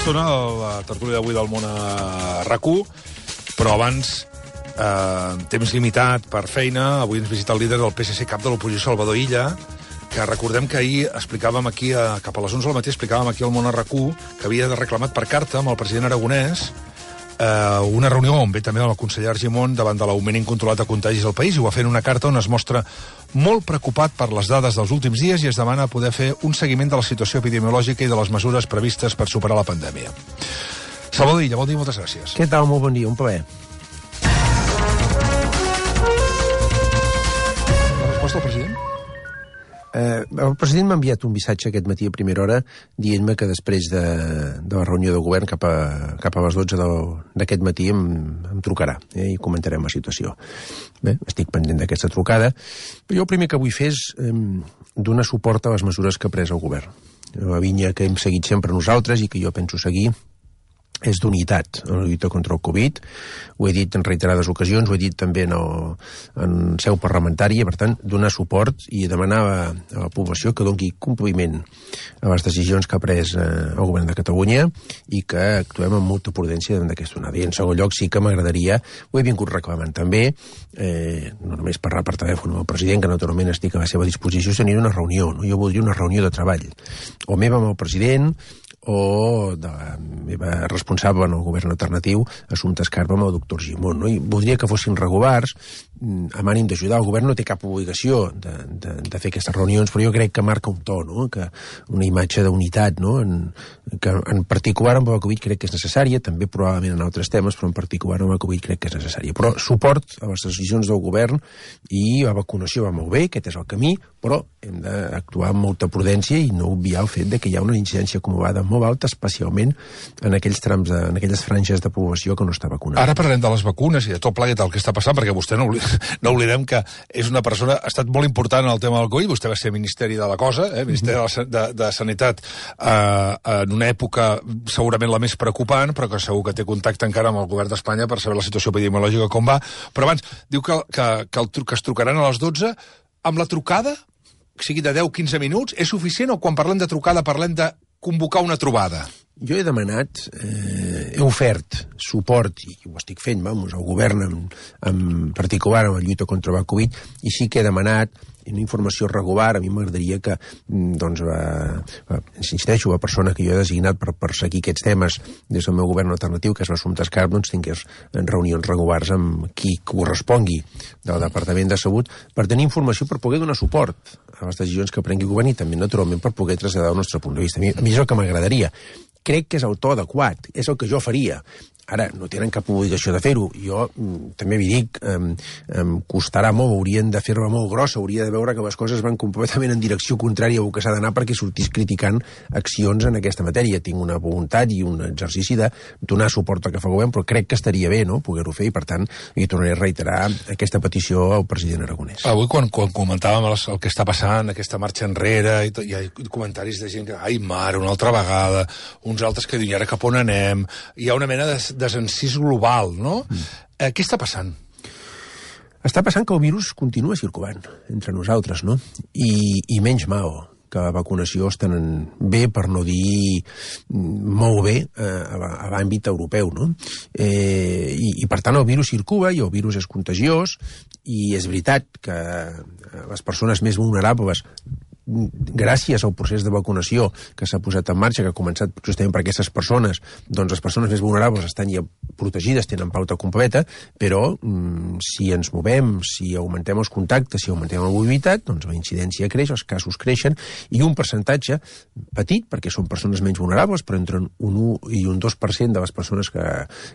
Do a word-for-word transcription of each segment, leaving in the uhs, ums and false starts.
estona la tertúlia d'avui del món a RAC1, però abans, eh, temps limitat per feina, avui ens visita el líder del P S C cap de l'oposició, Salvador Illa, que recordem que ahir explicàvem aquí, a, cap a les onze del matí, explicàvem aquí al món a RAC1 que havia reclamat per carta amb el president aragonès eh, una reunió on ve també el conseller Argimon davant de l'augment incontrolat de contagis al país, i ho va fer en una carta on es mostra molt preocupat per les dades dels últims dies i es demana poder fer un seguiment de la situació epidemiològica i de les mesures previstes per superar la pandèmia. Salvador Illa, bon dia, moltes gràcies. Què tal? Molt bon dia, un plaer. La resposta del president? Eh, el president m'ha enviat un missatge aquest matí a primera hora dient-me que després de, de la reunió de govern cap a, cap a les dotze d'aquest matí em, em trucarà eh, i comentarem la situació. Bé, estic pendent d'aquesta trucada, però jo el primer que vull fer és eh, donar suport a les mesures que ha pres el govern. La línia que hem seguit sempre nosaltres i que jo penso seguir és d'unitat en la lluita contra el Covid. Ho he dit en reiterades ocasions, ho he dit també en, el, en seu parlamentària, per tant, donar suport i demanar a, a la població que doni compliment a les decisions que ha pres eh, el govern de Catalunya i que actuem amb molta prudència davant d'aquesta onada. I en segon lloc sí que m'agradaria, ho he vingut reclamant també, eh, no només parlar per telèfon amb el president, que naturalment estic a la seva disposició, tenir una reunió. No? Jo voldria una reunió de treball, o meva amb el president, o de la meva responsable en el govern alternatiu, Assumpta Escarpa, amb el doctor Argimon. No? I voldria que fossin regulars, amb ànim d'ajudar. El govern no té cap obligació de, de, de fer aquestes reunions, però jo crec que marca un to, no? Que una imatge d'unitat, no? en, que en particular amb el Covid crec que és necessària, també probablement en altres temes, però en particular amb el Covid crec que és necessària. Però suport a les decisions del govern, i la vacunació va molt bé, aquest és el camí, però hem d'actuar amb molta prudència i no obviar el fet de que hi ha una incidència acumulada molt alta, especialment en aquells trams, de, en aquelles franges de població que no està vacunada. Ara parlem de les vacunes i de tot plegat el que està passant, perquè vostè no, oblidem, no oblidem que és una persona, ha estat molt important en el tema del Covid, vostè va ser ministeri de la cosa, eh, ministeri de, de, de Sanitat, eh, en una època segurament la més preocupant, però que segur que té contacte encara amb el govern d'Espanya per saber la situació epidemiològica com va. Però abans, diu que, que, que, el, que es trucaran a les dotze, amb la trucada, que sigui de deu a quinze minuts, és suficient, o quan parlem de trucada parlem de convocar una trobada? Jo he demanat, eh, he ofert suport, i ho estic fent, vamos, al govern en, en particular en la lluita contra el Covid, i sí que he demanat una informació regular. A mi m'agradaria que, doncs, va, va, insisteixo, la persona que jo he designat per perseguir aquests temes des del meu govern alternatiu, que és l'Assumpta Escarpa, doncs tingués reunions regulars amb qui correspongui del Departament de Salut per tenir informació, per poder donar suport a les decisions que prengui el govern i també, naturalment, per poder traslladar el nostre punt de vista. A mi, a mi és el que m'agradaria. Crec que és el to adequat, és el que jo faria. Ara, no tenen cap obligació de fer-ho. Jo mm, també vi dic, em, em costarà molt, haurien de fer-la molt grossa, hauria de veure que les coses van completament en direcció contrària al que s'ha d'anar perquè sortís criticant accions en aquesta matèria. Tinc una voluntat i un exercici de donar suport al que fa el govern, però crec que estaria bé, no?, poder-ho fer, i per tant li tornaré a reiterar aquesta petició al president aragonès. Avui, quan, quan comentàvem el, el que està passant, aquesta marxa enrere, i tot, hi ha comentaris de gent que, ai, mare, una altra vegada, uns altres que diuen, ara cap on anem? Hi ha una mena de desencís global, no? Mm. Eh, què està passant? Està passant que el virus continua circulant entre nosaltres, no? I, i menys mal que la vacunació està bé, per no dir molt bé, eh, a l'àmbit europeu, no? Eh, i, I, per tant, el virus circula i el virus és contagiós, i és veritat que les persones més vulnerables, gràcies al procés de vacunació que s'ha posat en marxa, que ha començat justament per aquestes persones, doncs les persones més vulnerables estan ja protegides, tenen pauta completa, però mm, si ens movem, si augmentem els contactes, si augmentem la mobilitat, doncs la incidència creix, els casos creixen, i un percentatge petit, perquè són persones menys vulnerables, però entre un un i un dos per cent de les persones que,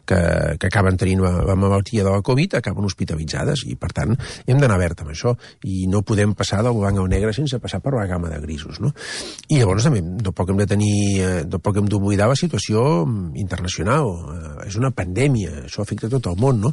que, que acaben tenint la, la malaltia de la Covid acaben hospitalitzades, i per tant hem d'anar verd amb això, i no podem passar del blanc al negre sense passar per la gamma de grisos, no? I llavors també no poc hem de tenir, no poc hem d'oblidar la situació internacional. Eh, és una pandèmia, això afecta tot el món, no?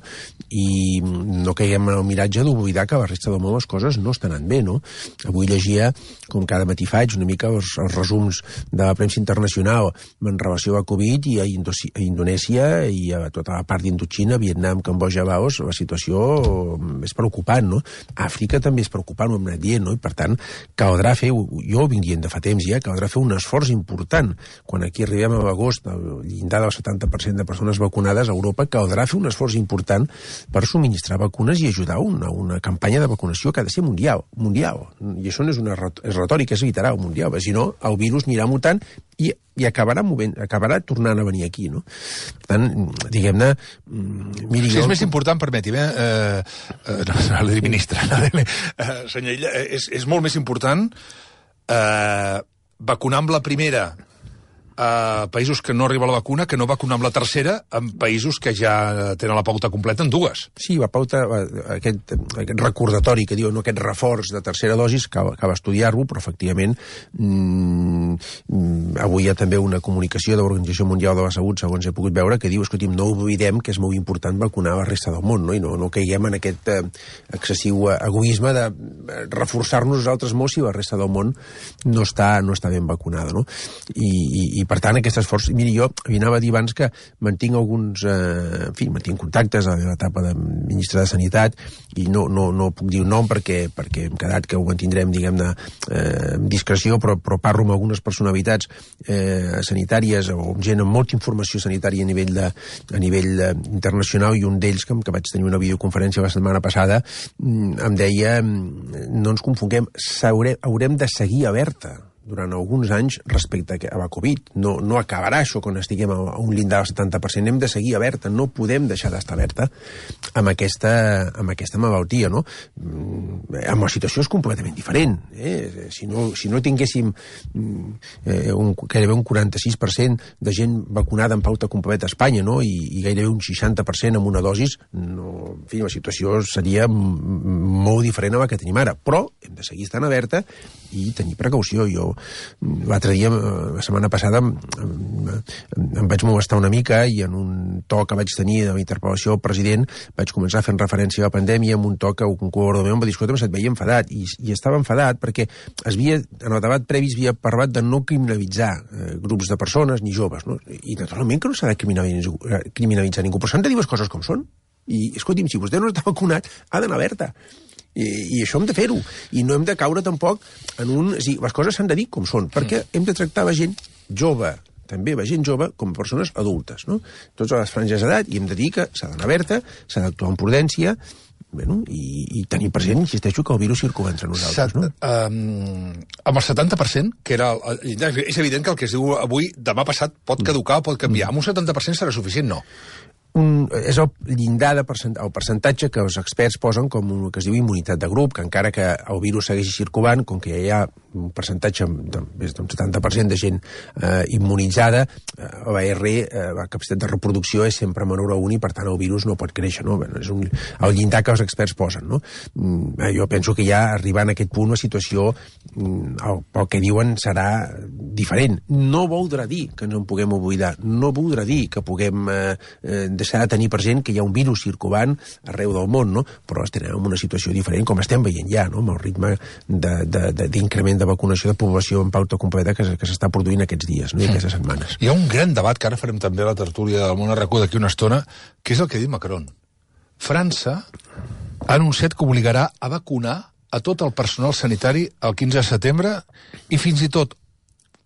I no caiguem en el miratge d'oblidar que a la resta del món les coses no estan anant bé, no? Avui llegia, com cada matí faig, una mica els, els resums de la premsa internacional en relació a Covid, i a, Indosi, a Indonèsia i a tota la part d'Indochina, Vietnam, Cambodja, Laos, la situació és preocupant, no? Àfrica també és preocupant, ho hem anat dient, no? I per tant, caldrà fer fer, jo ho vinc dient de fa temps ja, caldrà fer un esforç important. Quan aquí arribem a l'agost, al llindar del setanta per cent de persones vacunades a Europa, caldrà fer un esforç important per subministrar vacunes i ajudar una, una campanya de vacunació que ha de ser mundial. mundial. I això no és una és retòrica, és literal, mundial. Si no, el virus anirà mutant i, i acabarà movent, acabarà tornant a venir aquí, no? Per tant, diguem-ne... Miri, si jo... és més important, permeti'm, eh, eh, no, no l'he dit ministre, no, eh, senyor Illa, és, és molt més important eh, vacunar amb la primera a països que no arriba la vacuna que no vacunar amb la tercera en països que ja tenen la pauta completa en dues. Sí, la pauta, aquest, aquest recordatori que diu, no, aquest reforç de tercera dosis, cal, cal estudiar-lo, però efectivament mmm, avui hi ha també una comunicació de l'Organització Mundial de la Salut, segons he pogut veure, que diu, escolti'm, no oblidem que és molt important vacunar la resta del món, no? I no, no caiguem en aquest eh, excessiu egoisme de reforçar-nos nosaltres molt si la resta del món no està, no està ben vacunada, no? I, i, i per tant, aquest esforç... Miri, jo anava a dir abans que mantinc alguns... Eh, en fi, mantinc contactes a l'etapa de ministre de Sanitat i no, no, no puc dir un nom perquè, perquè hem quedat que ho mantindrem, diguem-ne, eh, amb discreció, però, però parlo amb algunes personalitats eh, sanitàries o amb gent amb molta informació sanitària a nivell, de, a nivell de, internacional, i un d'ells, que, que vaig tenir una videoconferència la setmana passada, em deia, no ens confonguem, haurem de seguir alerta durant alguns anys respecte a la Covid. No, no acabarà això quan estiguem a un llindar del setanta per cent. Hem de seguir alerta, no podem deixar d'estar alerta amb aquesta, amb aquesta malaltia, no? Amb la situació és completament diferent. Eh? Si, no, si no tinguéssim eh, un, gairebé un quaranta-sis per cent de gent vacunada en pauta completa a Espanya, no? I, i gairebé un seixanta per cent amb una dosis, no, en fi, la situació seria molt diferent a la que tenim ara. Però hem de seguir estant alerta i tenir precaució. Jo l'altre dia, la setmana passada, em, em vaig molestar una mica i en un to que vaig tenir de la interpel·lació al president vaig començar fent referència a la pandèmia amb un to que un col·laborador meu em va dir, escolta, se't veia enfadat, i, i estava enfadat perquè es havia, en el debat previ es havia parlat de no criminalitzar eh, grups de persones ni joves, no? I naturalment que no s'ha de criminalitzar, criminalitzar ningú, però s'han de dir les coses com són. I, escolti'm, si vostè no està vacunat, ha d'anar alerta. I, i això hem de fer-ho, i no hem de caure tampoc en un... És dir, les coses s'han de dir com són, perquè hem de tractar la gent jove, també la gent jove, com a persones adultes, no? Tots a les franges d'edat, i hem de dir que s'ha d'anar alerta, s'ha d'actuar amb prudència, bueno, i, i tenir present, insisteixo, que el virus circula entre nosaltres, no? Um, amb el setanta per cent, que era... El, és evident que el que es diu avui, demà passat, pot caducar o pot canviar. Amb un setanta per cent serà suficient? No. Un, és el llindar de percent, el percentatge que els experts posen com un, que es diu immunitat de grup, que encara que el virus segueixi circulant, com que ja hi ha un percentatge més d'un setanta per cent de gent eh, immunitzada, eh, la R, eh, la capacitat de reproducció és sempre menor a un i per tant el virus no pot créixer, no? Bueno, és un, el llindar que els experts posen, no? Mm, jo penso que ja arribant a aquest punt la situació, mm, el, el que diuen serà diferent. No voldrà dir que no en puguem oblidar, no voldrà dir que puguem eh, eh, s'ha de tenir present que hi ha un virus circulant arreu del món, no? Però estem en una situació diferent, com estem veient ja, no? Amb el ritme d'increment de, de, de vacunació de població en pauta completa que, que s'està produint aquests dies, no? I aquestes setmanes. Hi ha un gran debat, que ara farem també a la tertúlia del Món a RAC1 d'aquí una estona, que és el que diu Macron. França ha anunciat que obligarà a vacunar a tot el personal sanitari el quinze de setembre i fins i tot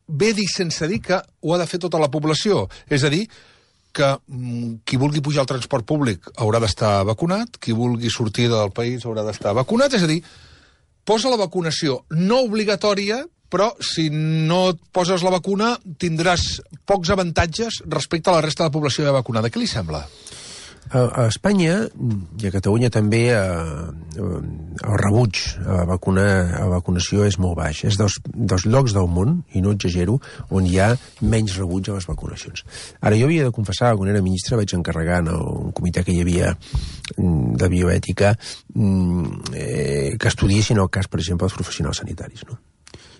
ve dir sense dir que ho ha de fer tota la població. És a dir, que mm, qui vulgui pujar al transport públic haurà d'estar vacunat, qui vulgui sortir del país haurà d'estar vacunat, és a dir, posa la vacunació no obligatòria, però si no et poses la vacuna tindràs pocs avantatges respecte a la resta de la població ja vacunada. Què li sembla? A, a Espanya i a Catalunya també eh, el rebuig a la, vacuna, a la vacunació és molt baix. És dels, dels llocs del món, i no exagero, on hi ha menys rebuig a les vacunacions. Ara, jo havia de confessar, quan era ministre vaig encarregar en un comitè que hi havia de bioètica eh, que estudiessin el cas, per exemple, dels professionals sanitaris, no?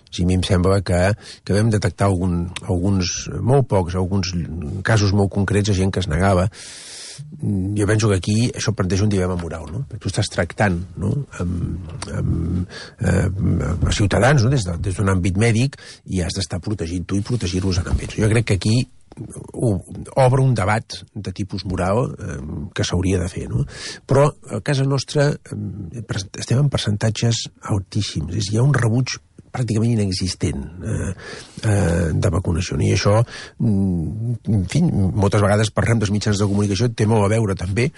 Sí, a mi em sembla que, que vam detectar algun, alguns, molt pocs, alguns casos molt concrets de gent que es negava. Jo penso que aquí això planteja un dilema moral, no? Perquè tu estàs tractant, no? amb, amb, amb ciutadans, no? des, de, des d'un àmbit mèdic, i has d'estar protegint tu i protegir-los en àmbits. Jo crec que aquí obre un debat de tipus moral eh, que s'hauria de fer, no? Però a casa nostra eh, estem en percentatges altíssims. És, hi ha un rebuig pràcticament inexistent eh, eh, de vacunació. I això, en fi, moltes vegades parlem dels mitjans de comunicació, té molt a veure també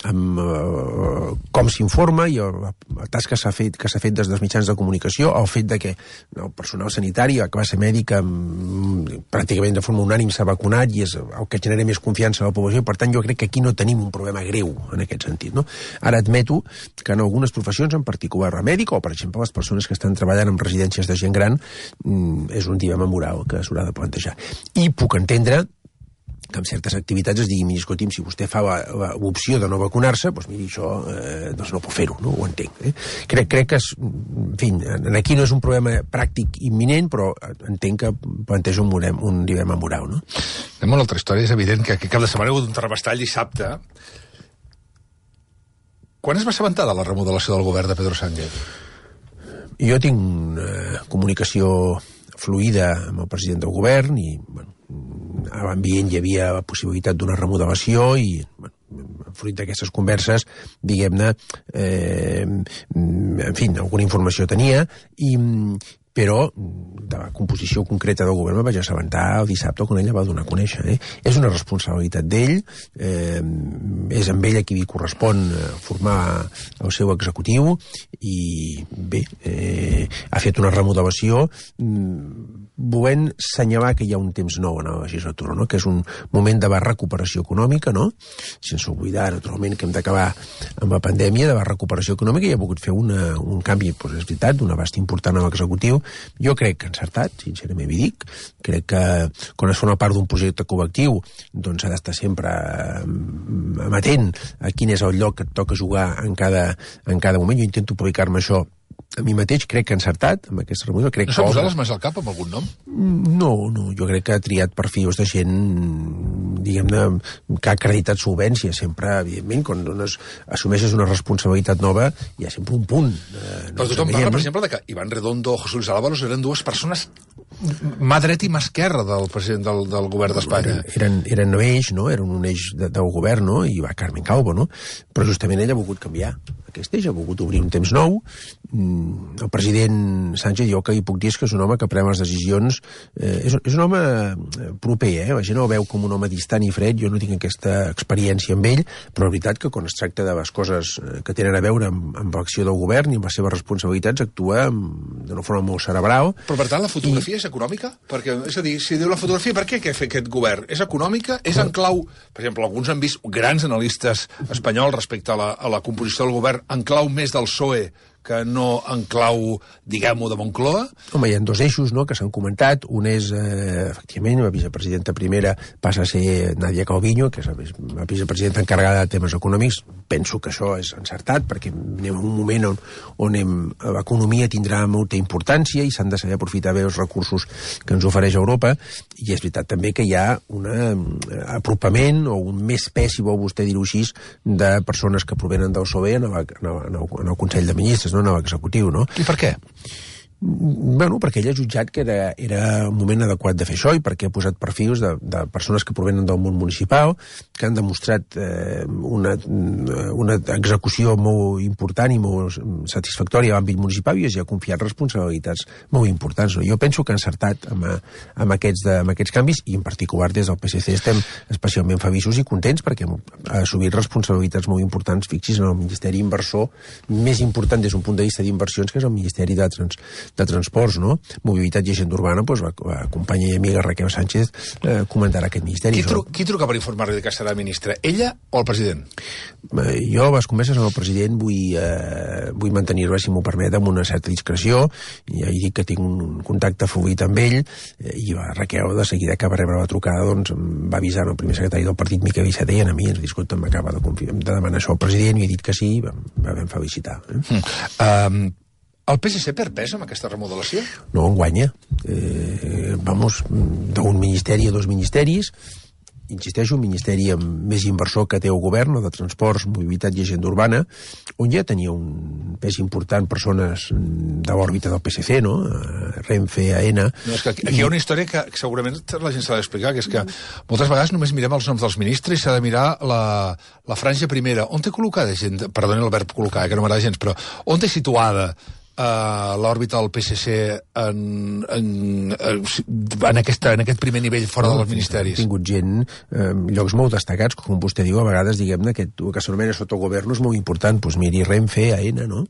amb eh, com s'informa i la, la tasca que s'ha fet, que s'ha fet des dels mitjans de comunicació, el fet de que el personal sanitari, la classe mèdica, pràcticament de forma unànime s'ha vacunat i és el que genera més confiança a la població, i per tant jo crec que aquí no tenim un problema greu en aquest sentit, no? Ara admeto que en algunes professions, en particular la mèdica, o per exemple les persones que estan treballant en residències de gent gran, és un dilema moral que s'haurà de plantejar. I puc entendre que en certes activitats es digui, miri, escolti'm, si vostè fa l'opció de no vacunar-se, doncs miri, això eh, doncs no puc fer-ho, no? Ho entenc. Eh? Crec, crec que, és, en fi, aquí no és un problema pràctic imminent, però entenc que planteja un, un dilema moral, no? Anem a una altra història. És evident que aquest cap de setmana hi ha hagut un terrabastall dissabte. Quan es va assabentar de la remodelació del govern de Pedro Sánchez? Jo tinc una comunicació fluida amb el president del govern i, bueno, a l'ambient hi havia la possibilitat d'una remodelació i, bueno, fruit d'aquestes converses, diguem-ne, eh, en fi, alguna informació tenia, i, però de la composició concreta del govern me vaig assabentar el dissabte quan ella va donar a conèixer. Eh? És una responsabilitat d'ell, eh, és amb ell a qui li correspon formar el seu executiu i bé, eh, ha fet una remodelació volent assenyalar que hi ha un temps nou en la legislatura, no? Que és un moment de recuperació econòmica, no? Sense oblidar, naturalment, que hem d'acabar amb la pandèmia, de la recuperació econòmica, i ha volgut fer una, un canvi, doncs és veritat, d'un abast important a l'executiu. Jo crec que encertat, sincerament m'hi dic. Crec que quan es fa una part d'un projecte col·lectiu, doncs s'ha d'estar sempre amatent a quin és el lloc que et toca jugar en cada, en cada moment. Jo intento aplicar-me això a mi mateix, crec que encertat amb aquesta remodelació. Crec no s'ha posat les mans al cap amb algun nom? No, no, jo crec que ha triat perfils de gent, diguem-ne, que ha acreditat solvència. Sempre, evidentment, quan dones, assumeixes una responsabilitat nova, hi ha sempre un punt. Eh, Però tothom parla, per exemple, de que Iván Redondo o José Luis Ábalos eren dues persones mà dreta i mà esquerra del president del, del govern d'Espanya. Eren, eren un eix, no? Eren un eix de, del govern, no? I va Carmen Calvo, no? Però justament ell ha volgut canviar aquest eix, ha volgut obrir un temps nou. El president Sánchez, jo que hi puc dir és que és un home que pren les decisions, eh, és, és un home proper, eh? La gent el veu com un home distant i fred, jo no tinc aquesta experiència amb ell, però la veritat que quan es tracta de les coses que tenen a veure amb, amb l'acció del govern i amb les seves responsabilitats, actua d'una forma molt cerebral. Però per tant la fotografia I... és econòmica? Perquè, és a dir, si diu la fotografia, per què què fa aquest govern? És econòmica? És en clau... Per exemple, alguns han vist grans analistes espanyols respecte a la, a la composició del govern en clau més del P S O E que no en clau, diguem-ho, de Moncloa? Home, hi ha dos eixos, no?, que s'han comentat. Un és, eh, efectivament, la vicepresidenta primera passa a ser Nadia Calviño, que és la vicepresidenta encarregada de temes econòmics. Penso que això és encertat, perquè anem en un moment on, on l'economia tindrà molta importància i s'han de saber aprofitar bé els recursos que ens ofereix Europa, i és veritat també que hi ha un apropament o un més pes, si vol vostè dir-ho així, de persones que provenen del P S O E en el, en el, en el Consell de Ministres, no en l'executiu, no? I per què? Bueno, perquè ell ha jutjat que era, era un moment adequat de fer això i perquè ha posat perfils de, de persones que provenen del món municipal, que han demostrat eh, una, una execució molt important i molt satisfactòria a l'àmbit municipal i es ha confiat responsabilitats molt importants. No? Jo penso que ha encertat amb, amb, aquests de, amb aquests canvis i en particular des del P S C estem especialment feliços i contents perquè ha assumit responsabilitats molt importants, fixis, en el Ministeri Inversor més important des d'un punt de vista d'inversions, que és el Ministeri de Trans de Transports, no? Mobilitat i Agenda Urbana, doncs la, la companya i amiga Raquel Sánchez eh, comentarà aquest ministeri. Qui, tru qui truca per informar-li que serà ministra? Ella o el president? Eh, jo, les converses amb el president, vull, eh, vull mantenir-la, si m'ho permet, amb una certa discreció. Ja he dit que tinc un contacte fluid amb ell, eh, i la Raquel, de seguida que va rebre la trucada, doncs em va avisar el primer secretari del partit, Miquel Iceta, i a mi ens ha dit, escolta, m'acaba de, de demanar això al president, i he dit que sí, i vam, vam felicitar. Eh? Mm. Um... El P S C perd pes amb aquesta remodelació? No, en guanya. Eh, vamos, d'un ministeri a dos ministeris. Insisteixo, un ministeri amb més inversor que té el govern, o de transports, mobilitat i agenda urbana, on ja tenia un pes important persones de l'òrbita del P S C, no? Renfe, Aena... No, és que aquí, aquí hi ha una història que segurament la gent s'ha d'explicar, que és que moltes vegades només mirem els noms dels ministres i s'ha de mirar la, la franja primera. On té col·locada gent? Perdoni el verb col·locar, que no m'agrada gens, però on té situada uh, l'òrbita del P S C en, en, en, aquesta, en aquest primer nivell fora no, dels ministeris? Ha tingut gent, eh, llocs molt destacats, com vostè diu, a vegades, diguem-ne, que, que s'anomena sotogoverno és molt important. Doncs miri, Renfe, A E N A, no?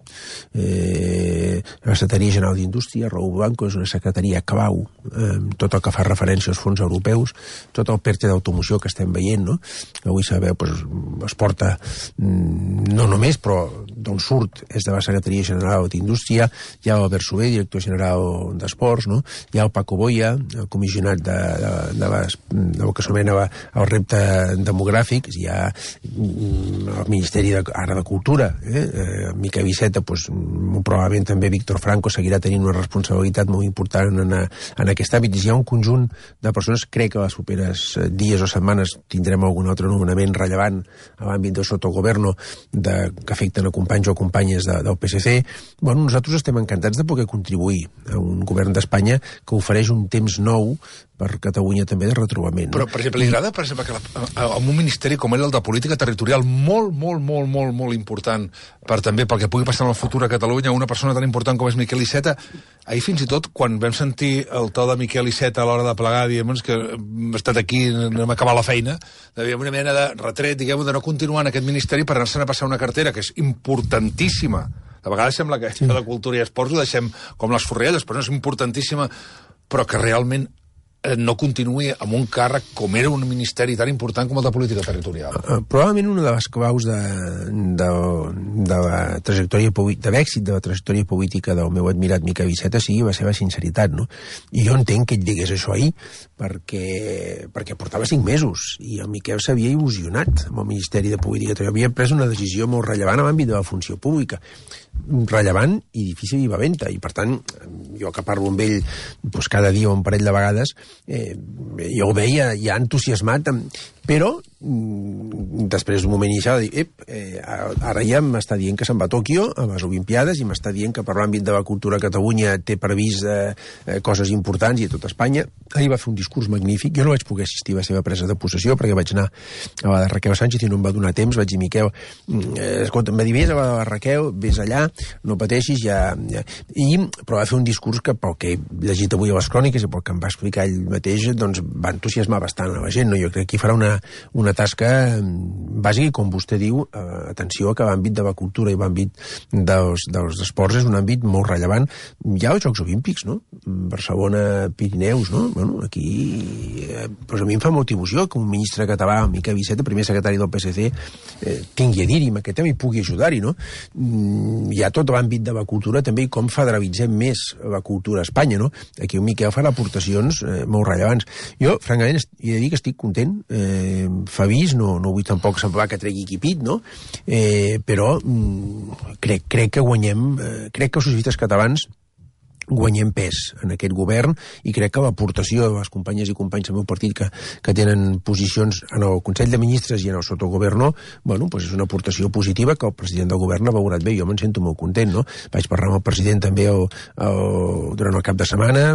Eh, la Secretaria General d'Indústria, Raúl Blanco, és una secretaria clau, eh, tot el que fa referència als fons europeus, tot el PERTE d'automoció que estem veient, no? Avui sabeu, doncs, es porta no només, però d'on surt és de la Secretaria General d'Indústria, hi ha Albert Soler, director general d'Esports, no? Hi ha el Paco Boya, el comissionat de, de, de, les, de el que s'anomena el repte demogràfic, hi ha el Ministeri de, ara de Cultura, eh? eh Miquel Iceta, doncs, probablement també Víctor Franco seguirà tenint una responsabilitat molt important en, en aquest àmbit. Hi ha un conjunt de persones, crec que les properes dies o setmanes tindrem algun altre nomenament rellevant a l'àmbit del sotogoverno de, que afecten a companys o companyes de, del P S C. Bueno, nosaltres estem encantats de poder contribuir a un govern d'Espanya que ofereix un temps nou per Catalunya també de retrobament. Però, per exemple, li agrada, per exemple, que la, en un ministeri com era el de política territorial molt, molt, molt, molt, molt important per també pel que pugui passar en el futur a Catalunya, una persona tan important com és Miquel Iceta, ahir fins i tot, quan vam sentir el to de Miquel Iceta a l'hora de plegar, diguem que hem estat aquí, no hem acabat la feina, dèiem una mena de retret, diguem de no continuar en aquest ministeri per anar-se'n a passar una cartera que és importantíssima. De vegades sembla que sí. De cultura i esports ho deixem com les forrelles, però no és importantíssima, però que realment no continuï amb un càrrec com era un ministeri tan important com el de política territorial. Uh, probablement una de les claus de, de, de la trajectòria de l'èxit de la trajectòria política del meu admirat Miquel Iceta sigui la seva sinceritat, no? I jo entenc que ell digués això ahir perquè, perquè portava cinc mesos i el Miquel s'havia il·lusionat amb el Ministeri de Política Territorial. Havia pres una decisió molt rellevant a l'àmbit de la funció pública, rellevant i difícil i valenta, i per tant jo que parlo amb ell doncs, cada dia o un parell de vegades eh, jo el veia ja entusiasmat amb... però mm, després d'un moment inicial de dir, ep, eh, ara ja m'està dient que se'n va a Tòquio a les Olimpiades i m'està dient que per l'àmbit de la cultura a Catalunya té previst eh, eh, coses importants i a tot Espanya. Ahir va fer un discurs magnífic, jo no vaig poder assistir a la seva presa de possessió perquè vaig anar a la de Raquel Sánchez i no em va donar temps, vaig dir, Miquel, eh, escolta, em va dir, vés a la de Raquel, vés allà, no pateixis, ja... ja. I, però va fer un discurs que, pel que he llegit avui a les cròniques i pel que em va explicar ell mateix, doncs va entusiasmar bastant a la gent, no? Jo crec que hi farà una, una tasca bàsica i, com vostè diu, eh, atenció que l'àmbit de la cultura i l'àmbit dels, dels esports és un àmbit molt rellevant. Hi ha els Jocs Olímpics, no? Barcelona, Pirineus, no? Bueno, aquí eh, doncs a mi em fa molta il·lusió que un ministre català, Miquel Iceta, primer secretari del P S C, eh, tingui a dir-hi amb aquest tema i pugui ajudar-hi, no? Mm, hi ha tot l'àmbit de la cultura també i com federalitzem més la cultura a Espanya, no? Aquí el Miquel farà aportacions eh, molt rellevants. Jo, francament, he de dir que estic content. Eh, fa vist, no, no vull tampoc semblar que tregui equipit, no? Eh, però mm, crec, crec que guanyem, eh, crec que els socialistes catalans guanyem pes en aquest govern i crec que l'aportació de les companyes i companys del meu partit que, que tenen posicions en el Consell de Ministres i en el sotogoverno, bueno, pues és una aportació positiva que el president del govern ha valorat bé. Jo me'n sento molt content, no? Vaig parlar amb el president també el, el, durant el cap de setmana,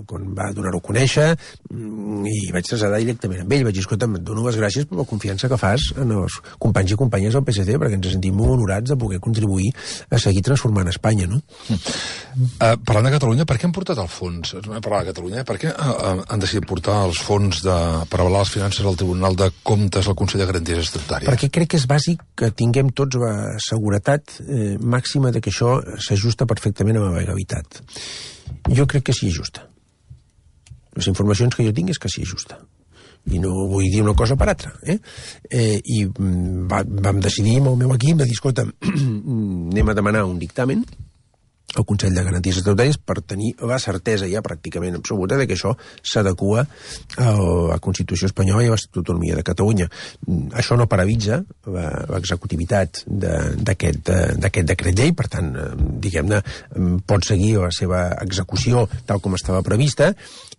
quan va donar-ho a conèixer, i vaig traslladar directament amb ell. Vaig dir, escolta, et dono les gràcies per la confiança que fas en els companys i companyes del P S C, perquè ens sentim molt honorats de poder contribuir a seguir transformant Espanya, no? Uh, parlant de Catalunya, per què han portat el fons? Parlar de Catalunya, per què han decidit portar els fons de, per avalar les finances al Tribunal de Comptes al Consell de Garanties Estatutàries? Perquè crec que és bàsic que tinguem tots la seguretat eh, màxima de que això s'ajusta perfectament a la legalitat. Jo crec que sí és justa. Les informacions que jo tinc és que sí és justa. I no vull dir una cosa per altra. Eh? Eh, I va, vam decidir amb el meu equip de dir, escolta, anem a demanar un dictamen al Consell de Garanties Estatutàries per tenir la certesa ja pràcticament absoluta de que això s'adequa a la Constitució espanyola i a l'Estatut d'Autonomia de Catalunya. Això no paralitza l'executivitat d'aquest decret llei, per tant, diguem-ne, pot seguir la seva execució tal com estava prevista,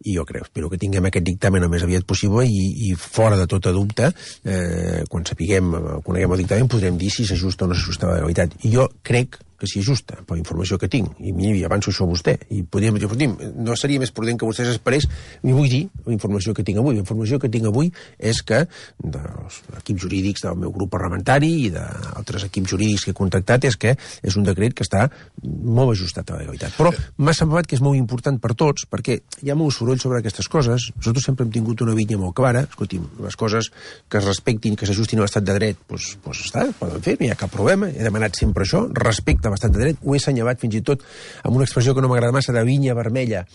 i jo crec, espero que tinguem aquest dictamen el més aviat possible i, i fora de tota dubte, eh, quan sapiguem, coneguem el dictamen, podrem dir si s'ajusta o no s'ajusta a la legalitat. I jo crec que si és justa, per la informació que tinc, i mira, avanço això a vostè, i podríem dir, no seria més prudent que vostè s'esperés, i vull dir la informació que tinc avui. La informació que tinc avui és que dels equips jurídics del meu grup parlamentari i d'altres equips jurídics que he contactat és que és un decret que està molt ajustat a la legalitat. Però m'ha semblat que és molt important per tots, perquè hi ha molt soroll sobre aquestes coses. Nosaltres sempre hem tingut una vinya molt clara. Escolti'm, les coses que es respectin, que s'ajustin a l'estat de dret, doncs, doncs està, poden fer, no hi ha cap problema. He demanat sempre això, respecte a l'estat de dret, ho he assenyalat fins i tot amb una expressió que no m'agrada massa de vinya vermella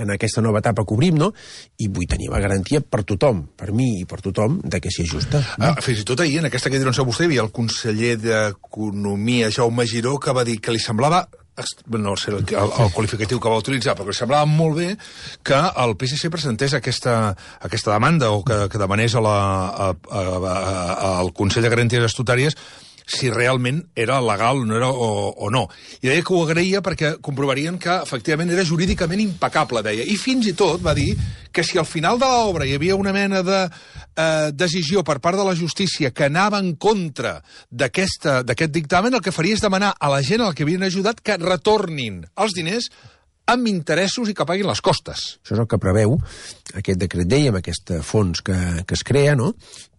en aquesta nova etapa que obrim, no? I vull tenir la garantia per tothom, per mi i per tothom, de que si és justa. No? Ah, fins i tot ahir, en aquesta que diuen vostè, hi havia el conseller d'Economia, Jaume Giró, que va dir que li semblava, no sé el, el, el qualificatiu que va utilitzar, però que li semblava molt bé que el P S C presentés aquesta, aquesta demanda o que, que demanés a la, a, a, a, al Consell de Garanties Estatutàries si realment era legal no era, o, o no. I deia que ho agraïa perquè comprovarien que efectivament era jurídicament impecable, deia. I fins i tot va dir que si al final de l'obra hi havia una mena de eh, decisió per part de la justícia que anava en contra d'aquest dictamen, el que faria és demanar a la gent a la que havien ajudat que retornin els diners amb interessos i que paguin les costes. Això és el que preveu aquest decret llei amb aquest fons que, que es crea, no?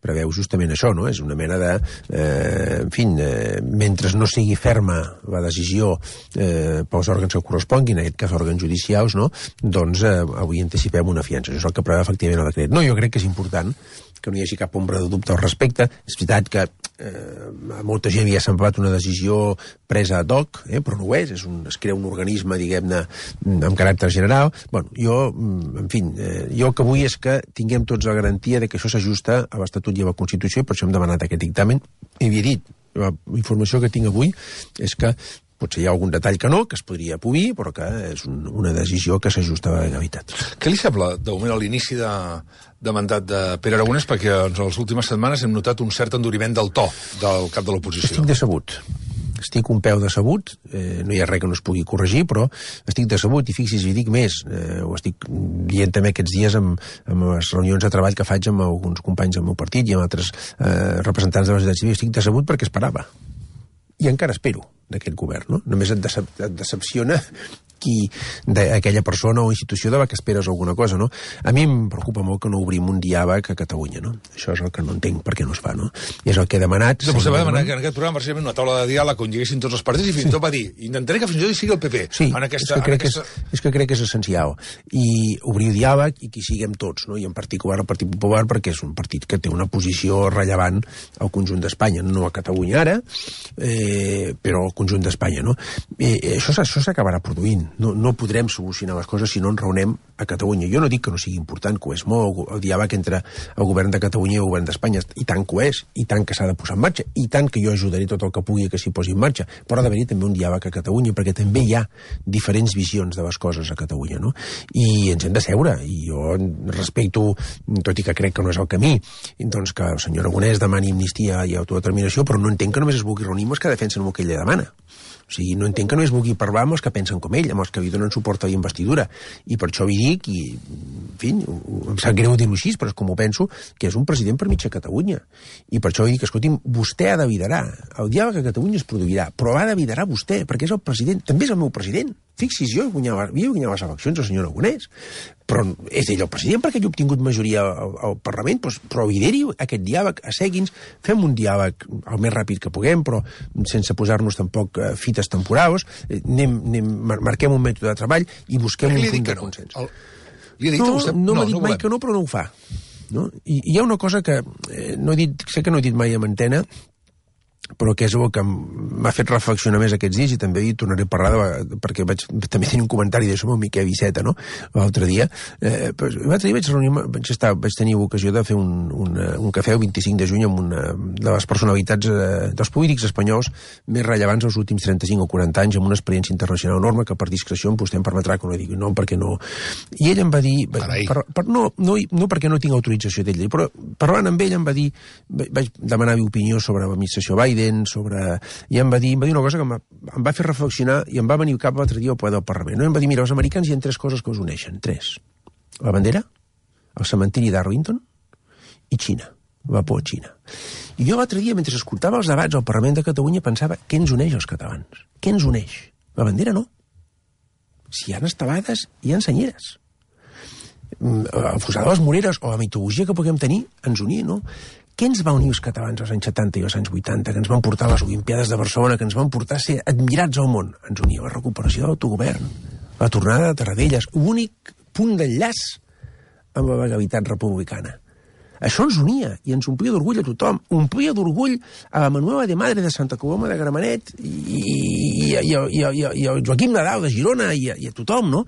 Preveu justament això, no? És una mena de... Eh, en fi, eh, mentre no sigui ferma la decisió eh, pels òrgans que corresponguin, en aquest cas òrgans judicials, no? Doncs eh, avui anticipem una fiança. Això és el que preveu efectivament el decret. No, jo crec que és important que no hi hagi cap ombra de dubte al respecte. És veritat que eh, a molta gent hi ha semblat una decisió presa ad hoc, eh, però no ho és, és un, es crea un organisme, diguem-ne, amb caràcter general. Bueno, jo, en fi, eh, jo el que vull és que tinguem tots la garantia de que això s'ajusta a l'Estatut i a la Constitució, i per això hem demanat aquest dictamen. I havia dit, la informació que tinc avui és que potser hi ha algun detall que no, que es podria polir, però que és un, una decisió que s'ajusta a la legalitat. Què li sembla, de moment, a l'inici de, de mandat de Pere Aragonès? Perquè en les últimes setmanes hem notat un cert enduriment del to del cap de l'oposició. Estic decebut. Estic un peu decebut, eh, no hi ha res que no es pugui corregir, però estic decebut i fixi's, i dic més, eh, ho estic dient també aquests dies amb, amb les reunions de treball que faig amb alguns companys del meu partit i amb altres eh, representants de la societat civil. Estic decebut perquè esperava. I encara espero d'aquest govern, no? Només et, decep et decepciona qui d'aquella persona o institució de la que esperes alguna cosa, no? A mi em preocupa molt que no obrim un diàleg a Catalunya, no? Això és el que no entenc per què no es fa, no? I és el que he demanat... Vostè va demanar que en aquest programa precisament una taula de diàleg on hi haguessin tots els partits i fins i tot va dir intentaré que fins i tot hi sigui el P P. Sí, en aquesta, és, que crec aquesta... que és, és que crec que és essencial. I obrir diàleg i que hi siguem tots, no? I en particular el Partit Popular, perquè és un partit que té una posició rellevant al conjunt d'Espanya, no a Catalunya ara, eh, però al conjunt d'Espanya, no? Eh, això això s'acabarà produint. No, no podrem solucionar les coses si no ens reunem a Catalunya. Jo no dic que no sigui important, que ho és molt, el diàleg entre el govern de Catalunya i el govern d'Espanya, i tant que ho és, i tant que s'ha de posar en marxa, i tant que jo ajudaré tot el que pugui que s'hi posi en marxa, però ha d'haver-hi també un diàleg a Catalunya, perquè també hi ha diferents visions de les coses a Catalunya, no? I ens hem de seure, i jo respecto, tot i que crec que no és el camí, doncs que el senyor Aragonès demani amnistia i autodeterminació, però no entenc que només es vulgui reunir amb els que defensen el que ell li demana. O sigui, no entenc que no es vulgui parlar amb els que pensen com ell, amb els que li donen suport a la investidura. I per això vi dic, i, en fi, em sap greu dir-ho així, però és com ho penso, que és un president per mitja Catalunya. I per això dic, escolti'm, vostè ha de liderar. El diàleg a Catalunya es produirà, però ha de liderar vostè, perquè és el president, també és el meu president. Fixi's, jo guanyava, havia guanyat les eleccions el senyor Aragonès, però és ell el president perquè ell ha obtingut majoria al, al Parlament, doncs, però lideri aquest diàleg, assegui'ns, fem un diàleg el més ràpid que puguem, però sense posar-nos tampoc eh, fites temporals, eh, anem, anem, marquem un mètode de treball i busquem un punt de consens. El... Li ha dit no, vostè... no, no m'ha dit no mai que no, però no ho fa. No? I, I hi ha una cosa que eh, no he dit, sé que no he dit mai a antena, però que és el que m'ha fet reflexionar més aquests dies, i també hi tornaré a parlar de, perquè vaig també tenir un comentari d'això amb el Miquel Iceta, no?, l'altre dia. Eh, l'altre dia vaig reunir, vaig, estar, vaig tenir ocasió de fer un, un, un cafè el vint-i-cinc de juny amb una de les personalitats eh, dels polítics espanyols més rellevants dels últims trenta-cinc o quaranta anys, amb una experiència internacional enorme que per discreció vostè em permetrà que no digui no, perquè no... I ell em va dir... Per, per, no, no, no perquè no tinc autorització d'ell, però parlant amb ell em va dir... Vaig demanar-li opinió sobre l'administració Biden, sobre... i em va dir, em va dir una cosa que em va, em va fer reflexionar i em va venir cap l'altre dia al ple del Parlament. No? Em va dir, mira, els americans hi ha tres coses que us uneixen, tres. La bandera, el cementiri d'Arlington i Xina. vapor a Xina. I jo l'altre dia, mentre escoltava els debats al Parlament de Catalunya, pensava, què ens uneix als catalans? Què ens uneix? La bandera no. Si hi ha estelades, hi ha senyeres. El fossar de les Moreres o la mitologia que puguem tenir ens unia, no? Què ens va unir els catalans als anys setanta i als anys vuitanta, que ens van portar a les Olimpiades de Barcelona, que ens van portar a ser admirats al món? Ens unia la recuperació de l'autogovern, la tornada de Tarradellas, l'únic punt d'enllaç amb la legalitat republicana. Això ens unia i ens omplia d'orgull a tothom. Omplia d'orgull a la Manuela de Madre de Santa Coloma de Gramenet i, i, i, i, i, i el Joaquim Nadal de Girona i a, i a tothom, no?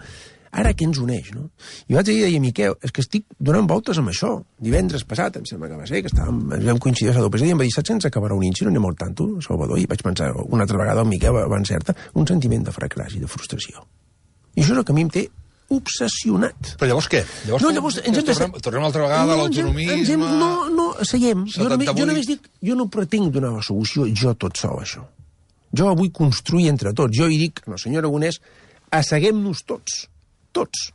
Ara què ens uneix, no? I l'altre dia deia, Miquel, és que estic donant voltes amb això. Divendres passat, em sembla que va ser, que estàvem, ens vam coincidir a Salvador i em va dir, saps que ens acabarà unint si no anem al tanto, Salvador? I vaig pensar una altra vegada al Miquel, va encertar, un sentiment de fracàs i de frustració. I això és el que a mi em té obsessionat. Però llavors què? Llavors, no, llavors ens hem de... tornem, tornem altra vegada no, a l'autonomisme... No, no, seguim. Jo només, jo només dic, jo no pretenc donar la solució jo tot sol, això. Jo la vull construir entre tots. Jo hi dic, no, senyor Aragonès, asseguem-nos tots. Tots.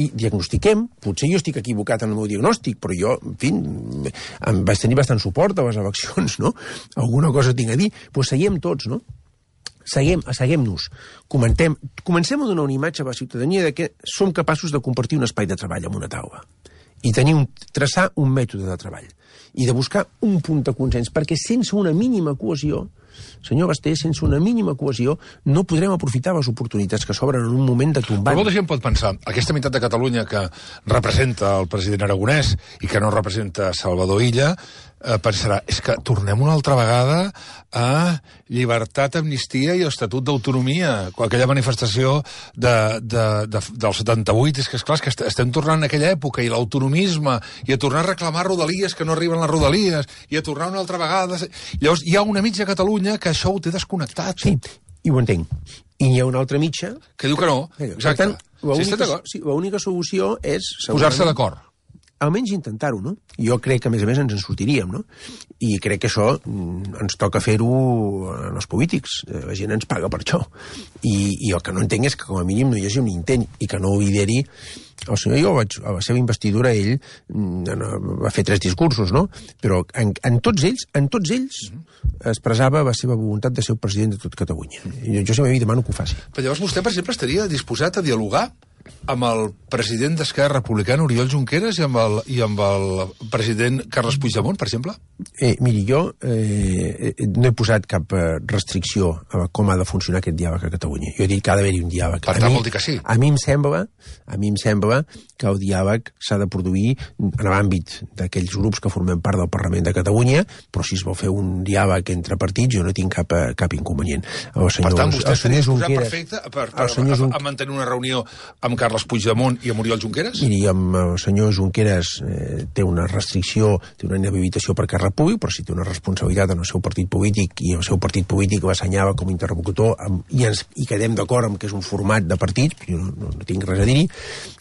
I diagnostiquem, potser jo estic equivocat en el meu diagnòstic, però jo, en fi, em vaig tenir bastant suport a les eleccions, no? Alguna cosa tinc a dir, doncs seguim tots, no? Seguem, asseguem-nos, comentem, comencem a donar una imatge a la ciutadania de que som capaços de compartir un espai de treball amb una taula i tenir un, traçar un mètode de treball i de buscar un punt de consens, perquè sense una mínima cohesió, senyor Basté, sense una mínima cohesió no podrem aprofitar les oportunitats que s'obren en un moment de tombar. Però molta gent pot pensar, aquesta meitat de Catalunya que representa el president Aragonès i que no representa Salvador Illa, eh, pensarà, és que tornem una altra vegada a llibertat, amnistia i estatut d'autonomia. Aquella manifestació de, de, de, del setanta-vuit, és que és clar, és que estem tornant a aquella època, i l'autonomisme, i a tornar a reclamar rodalies que no arriben les rodalies, i a tornar una altra vegada... Llavors, hi ha una mitja Catalunya que això ho té desconnectat. Sí, i ho entenc. I hi ha una altra mitja... Que diu que no. Exacte. Per tant, l'única sí, l'única solució és... Posar-se d'acord. Almenys intentar-ho, no? Jo crec que, a més a més, ens en sortiríem, no? I crec que això ens toca fer-ho als polítics. La gent ens paga per això. I, i el que no entenc és que, com a mínim, no hi hagi un intent i que no ho lideri el senyor. Jo vaig, a la seva investidura, ell va fer tres discursos, no? Però en, en tots ells, en tots ells expressava la seva voluntat de ser el president de tot Catalunya. I jo sempre li demano que ho faci. Però llavors vostè, per exemple, estaria disposat a dialogar amb el president d'Esquerra Republicana, Oriol Junqueras, i amb el, i amb el president Carles Puigdemont, per exemple? Eh, miri, jo eh, no he posat cap restricció a com ha de funcionar aquest diàleg a Catalunya. Jo he dit que ha d'haver-hi un diàleg. Per tant, vol dir que sí. A mi em sembla, a mi em sembla que el diàleg s'ha de produir en l'àmbit d'aquells grups que formem part del Parlament de Catalunya, però si es vol fer un diàleg entre partits, jo no tinc cap, cap inconvenient. El senyor, per tant, vostè estaria disposat Junqueras, perfecte per, per, per, a, a mantenir una reunió amb Carles Puigdemont i amb Oriol Junqueras? Miri, amb el senyor Junqueras eh, té una restricció, té una inhabilitació per càrrec públic, però si té una responsabilitat en el seu partit polític i el seu partit polític l'assenyala com a interlocutor amb, i, ens, i quedem d'acord amb que és un format de partit, jo no, no, no tinc res a dir-hi.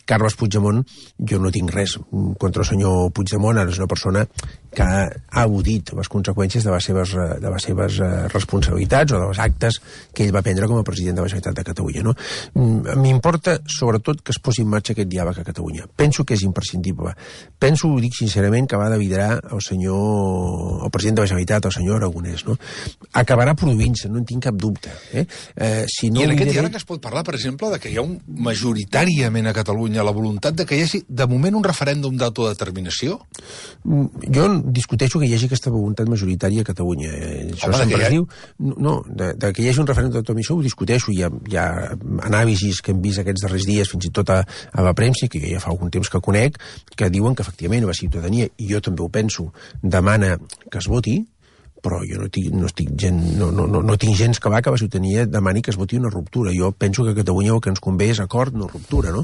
Carles Puigdemont, jo no tinc res contra el senyor Puigdemont, ara és una persona que ha, ha al·ludit les conseqüències de les seves, de les seves responsabilitats o dels actes que ell va prendre com a president de la Generalitat de Catalunya, no? M'importa, sobretot, que es posi en marxa aquest diàleg a Catalunya. Penso que és imprescindible. Penso, ho dic sincerament, que va de liderar el senyor, el president de la Generalitat, el senyor Aragonès, no? Acabarà produint-se, no en tinc cap dubte. Eh? Eh, si no I en aquest lideré... diàleg es pot parlar, per exemple, de que hi ha un majoritàriament a Catalunya la voluntat de que hi hagi, de moment, un referèndum d'autodeterminació? Jo discuteixo que hi hagi aquesta voluntat majoritària a Catalunya. Això Home, sempre es ha... diu... No, de, de que hi hagi un referèndum d'autodeterminació ho discuteixo. Hi ha, hi ha anàlisis que hem vist aquests darrers dies, fins i tot a, a la premsa, que ja fa algun temps que conec, que diuen que, efectivament, la ciutadania, i jo també ho penso, demana que es voti, però jo no, tinc, no, estic gent, no, no, no, no tinc gens que va que la ciutadania demani que es voti una ruptura. Jo penso que a Catalunya el que ens convé és acord, no ruptura, no?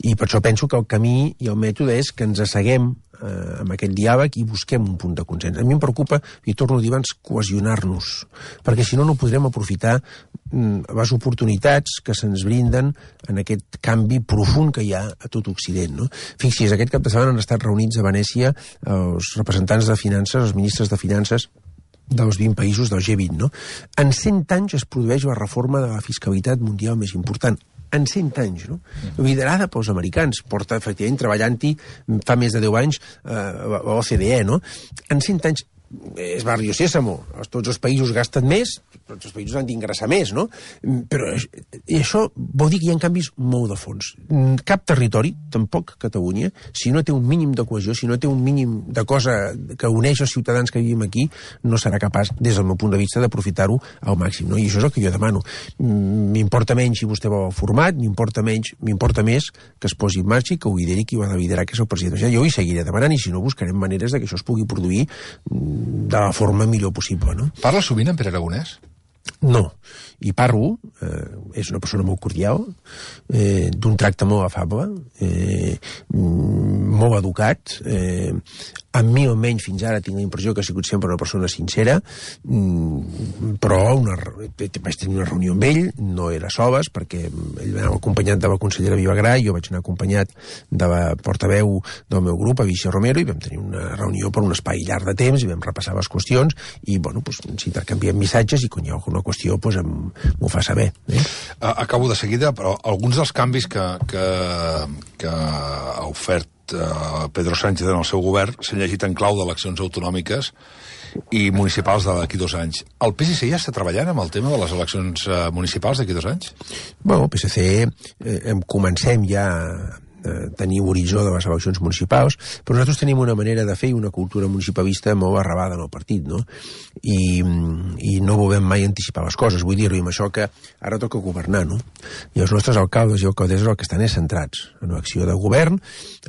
I per això penso que el camí i el mètode és que ens asseguem eh, amb aquest diàleg i busquem un punt de consens. A mi em preocupa, i torno a dir abans, cohesionar-nos, perquè si no, no podrem aprofitar mm, les oportunitats que se'ns brinden en aquest canvi profund que hi ha a tot Occident, no? Fixi's, aquest cap de setmana han estat reunits a Venècia els representants de finances, els ministres de finances dels vint països del G vint, no? En cent anys es produeix la reforma de la fiscalitat mundial més important. en cent anys, no? Liderada pels americans, porta, efectivament, treballant-hi fa més de deu anys eh, a l'O C D E, no? En cent anys és barrio sésamo, tots els països gasten més, tots els països han d'ingressar més, no? Però i això vol dir que hi ha canvis molt de fons. Cap territori, tampoc Catalunya, si no té un mínim de cohesió, si no té un mínim de cosa que uneix els ciutadans que vivim aquí, no serà capaç, des del meu punt de vista, d'aprofitar-ho al màxim, no? I això és el que jo demano. M'importa menys si vostè vol el format, m'importa menys, m'importa més que es posi en marxa i que ho lideri qui ho ha de liderar, que és el president. Jo hi seguiré demanant i si no buscarem maneres de que això es pugui produir de la forma millor possible, no? Parla sovint en Pere Aragonès? No, i parlo, eh, és una persona molt cordial, eh, d'un tracte molt afable, eh, molt educat, eh, amb mi almenys fins ara tinc la impressió que ha sigut sempre una persona sincera, però una, vaig tenir una reunió amb ell, no era soles, perquè ell anava acompanyat de la consellera Vilagrà, jo vaig anar acompanyat de la portaveu del meu grup, Avicii Romero, i vam tenir una reunió per un espai llarg de temps, i vam repassar les qüestions, i bueno, doncs, ens intercanviem missatges, i quan hi ha alguna qüestió doncs, m'ho fa saber. Eh? Acabo de seguida, però alguns dels canvis que, que, que ha ofert Uh, Pedro Sánchez en el seu govern s'han llegit en clau d'eleccions autonòmiques i municipals d'aquí dos anys. El P S C ja està treballant amb el tema de les eleccions uh, municipals d'aquí dos anys? Bueno, el P S C eh, comencem ja a tenir horitzó de les eleccions municipals, però nosaltres tenim una manera de fer i una cultura municipalista molt arrabada en el partit, no? I, i no volem mai anticipar les coses. Vull dir-ho amb això que ara toca governar, no? I els nostres alcaldes i alcaldesses el que estan és centrats en l'acció de govern,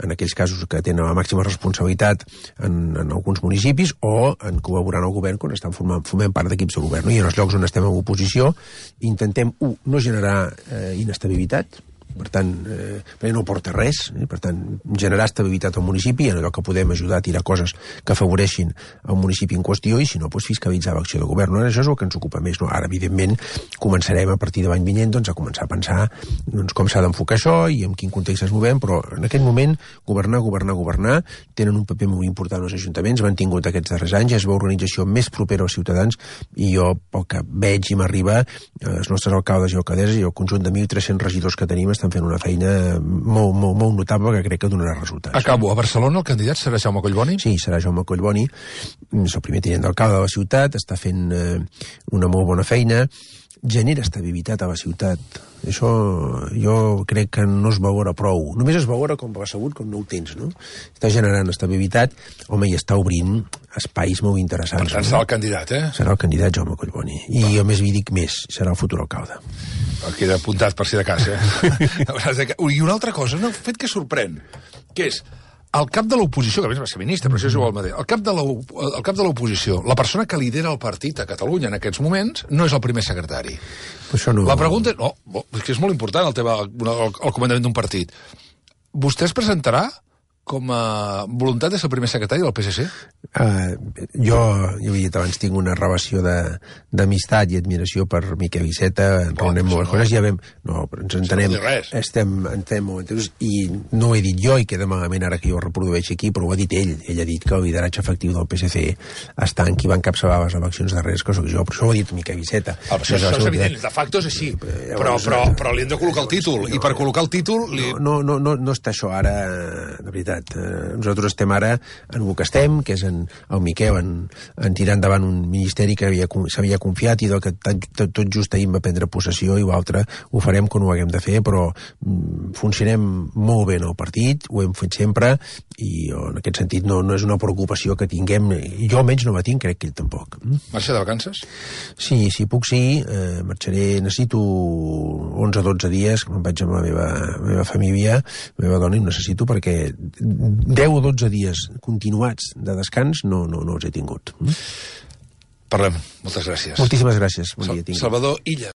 en aquells casos que tenen la màxima responsabilitat en, en alguns municipis, o en col·laborar en el govern quan estan formant, formant part d'equips de govern, no? I en els llocs on estem en oposició intentem, un, no generar eh, inestabilitat, per tant, eh, perquè no porta res, eh? Per tant, generar estabilitat al municipi, en allò que podem ajudar a tirar coses que afavoreixin el municipi en qüestió, i si no, doncs fiscalitzar l'acció de govern. No? Això és el que ens ocupa més. No? Ara, evidentment, començarem a partir de l'any vinent doncs, a començar a pensar doncs, com s'ha d'enfocar això i en quin context es movem, però en aquest moment, governar, governar, governar, tenen un paper molt important els ajuntaments, han tingut aquests darrers anys, és l'organització més propera als ciutadans, i jo, pel que veig i m'arriba, els nostres alcaldes i alcaldesses i el conjunt de mil tres-cents regidors que tenim estan fent una feina molt, molt, molt notable que crec que donarà resultats. Acabo. A Barcelona el candidat serà Jaume Collboni? Sí, serà Jaume Collboni. És el primer tinent d'alcalde de la ciutat, està fent eh, una molt bona feina, genera estabilitat a la ciutat. Això jo crec que no es veurà prou. Només es veurà com va sabut, com no ho tens, no? Està generant estabilitat, home, i està obrint espais molt interessants. Per tant, no? Serà el candidat, eh? Serà el candidat Jaume Collboni. I jo més vi dic més, serà el futur alcalde. Queda apuntat per si de cas, eh? I una altra cosa, un fet que sorprèn, que és el cap de l'oposició, que a més va ser ministre, però això és igual el mateix, el cap de el cap de l'oposició, la persona que lidera el partit a Catalunya en aquests moments, no és el primer secretari. Això no... La pregunta és... No, és que és molt important el tema, el, el comandament d'un partit. Vostè es presentarà com a voluntat de ser el primer secretari del P S C? Uh, jo, jo he dit abans, tinc una relació d'amistat i admiració per Miquel Iceta, en oh, reuniem moltes coses, ja vam... No, però ens entenem... No estem, estem molt entesos, i no ho he dit jo, i queda malament ara que jo ho reprodueixi aquí, però ho ha dit ell. Ell ha dit que el lideratge efectiu del P S C està en qui va encapçalar les eleccions darreres, que soc jo, però això ho ha dit Miquel Iceta. Ah, això, això és evident, de facto és així, però, però, però li hem de col·locar el títol, i per col·locar el títol... Li... No, no, no, no està això ara, de veritat. Nosaltres estem ara en el que estem, que és en el Miquel en, en tirar endavant un ministeri que s'havia confiat i del que tot, tot just ahir va prendre possessió, i l'altre ho farem quan ho haguem de fer, però mm, funcionem molt bé en el partit, ho hem fet sempre, i jo, en aquest sentit no, no és una preocupació que tinguem, jo almenys no la tinc, crec que ell tampoc. Marxa de vacances? Sí, si puc sí, eh, marxaré, necessito onze o dotze dies, que me'n vaig amb la meva, la meva família, la meva dona, i ho necessito perquè deu o dotze dies continuats de descans no, no, no els he tingut. Parlem. Moltes gràcies. Moltíssimes gràcies. Bon dia, Salvador Illa.